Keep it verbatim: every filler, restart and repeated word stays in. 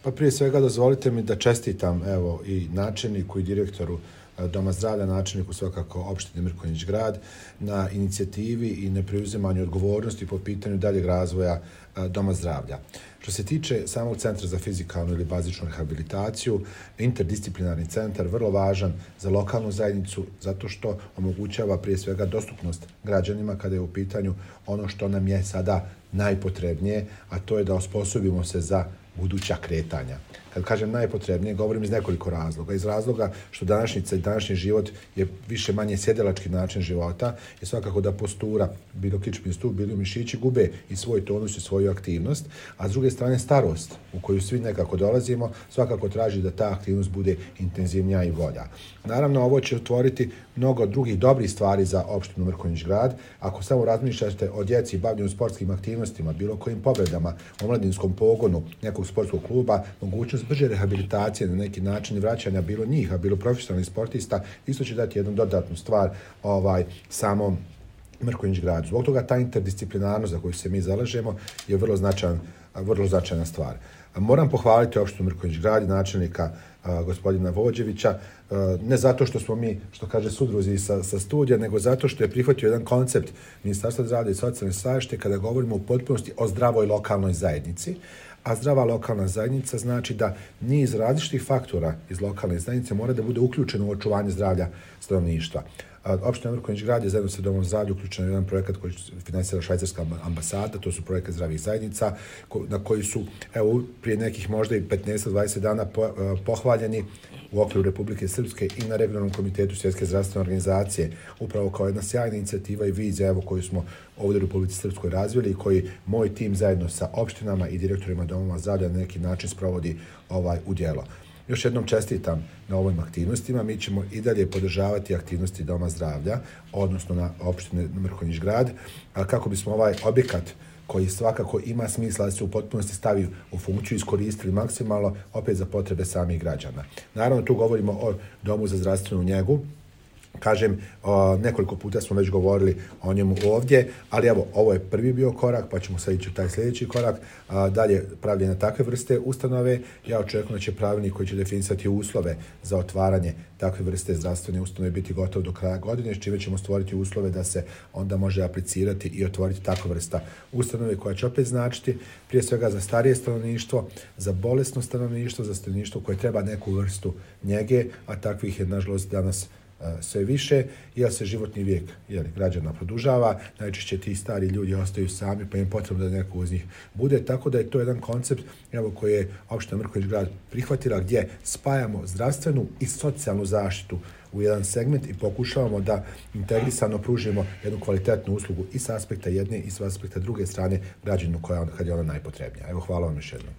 Pa prije svega dozvolite mi da čestitam evo i načelniku i direktoru Doma zdravlja, načelniku svakako opštine Mrkonjić Grad na inicijativi i na preuzimanju odgovornosti po pitanju daljeg razvoja Doma zdravlja. Što se tiče samog Centra za fizikalnu ili bazičnu rehabilitaciju, interdisciplinarni centar vrlo važan za lokalnu zajednicu zato što omogućava prije svega dostupnost građanima kada je u pitanju ono što nam je sada najpotrebnije, a to je da osposobimo se za buduća kretanja. Kad kažem najpotrebnije, govorim iz nekoliko razloga. Iz razloga što današnjica i današnji život je više manje sjedilački način života i svakako da postura, bilo kičmi stup, bilo mišići, gube i svoj tonus i svoju aktivnost, a s druge strane starost u koju svi nekako dolazimo, svakako traži da ta aktivnost bude intenzivnija i bolja. Naravno, ovo će otvoriti mnogo drugih dobrih stvari za opštinu Mrkonjić Grad. Ako samo razmišljate o djeci i bavljenju sportskim aktivnostima, bilo kojim pobjedama, omladinskom pogonu nekog sportskog kluba, mogućnost brže rehabilitacije na neki način i vraćanja bilo njih, a bilo profesionalnih sportista, isto će dati jednu dodatnu stvar ovaj, samom Mrkonjić Gradu. Zbog toga ta interdisciplinarnost za koju se mi zalažemo je vrlo značajan, vrlo značajna stvar. Moram pohvaliti opštinu Mrkonjić Grad i načelnika a, gospodina Vođevića, a, ne zato što smo mi, što kaže sudruzi sa, sa studija, nego zato što je prihvatio jedan koncept Ministarstva zdravlja i socijalne zaštite kada govorimo u potpunosti o zdravoj lokalnoj zajednici. A zdrava lokalna zajednica znači da niz različitih faktora iz lokalne zajednice mora da bude uključeno u očuvanje zdravlja stanovništva. Opština Mrkonjić Grad je zajedno sa Domom zdravlja uključen u jedan projekat koji finansira švajcarska ambasada, to su projekat zdravih zajednica, na koji su evo, prije nekih možda i petnaest do dvadeset dana po, pohvaljeni u okviru Republike Srpske i na regionalnom komitetu Svjetske zdravstvene organizacije, upravo kao jedna sjajna inicijativa i vizija evo, koju smo ovdje u Republici Srpskoj razvili i koji moj tim zajedno sa opštinama i direktorima domova zdravlja na neki način sprovodi ovaj, u djelo. Još jednom čestitam na ovim aktivnostima. Mi ćemo i dalje podržavati aktivnosti Doma zdravlja, odnosno na opštine Mrkonjić Grad, kako bismo ovaj objekat koji svakako ima smisla da se u potpunosti stavi u funkciju, iskoristili maksimalno opet za potrebe samih građana. Naravno, tu govorimo o Domu za zdravstvenu njegu. Kažem, o, nekoliko puta smo već govorili o njemu ovdje, ali evo, ovo je prvi bio korak, pa ćemo sad ići u taj sljedeći korak. A, dalje, pravljenje takve vrste ustanove, ja očekujem da će pravilnik koji će definisati uslove za otvaranje takve vrste zdravstvene ustanove biti gotov do kraja godine, s čime ćemo stvoriti uslove da se onda može aplicirati i otvoriti takva vrsta ustanove koja će opet značiti prije svega za starije stanovništvo, za bolesno stanovništvo, za stanovništvo koje treba neku vrstu njege, a takvih je nažalost danas sve više, jer se životni vijek jeli, građana produžava, najčešće ti stari ljudi ostaju sami, pa im potrebno da neko uz njih bude, tako da je to jedan koncept evo, koji je opština Mrkonjić Grad prihvatila, gdje spajamo zdravstvenu i socijalnu zaštitu u jedan segment i pokušavamo da integrisano pružimo jednu kvalitetnu uslugu i s aspekta jedne i s aspekta druge strane građanu koja kad je ona najpotrebnija. Evo, hvala vam još jednom.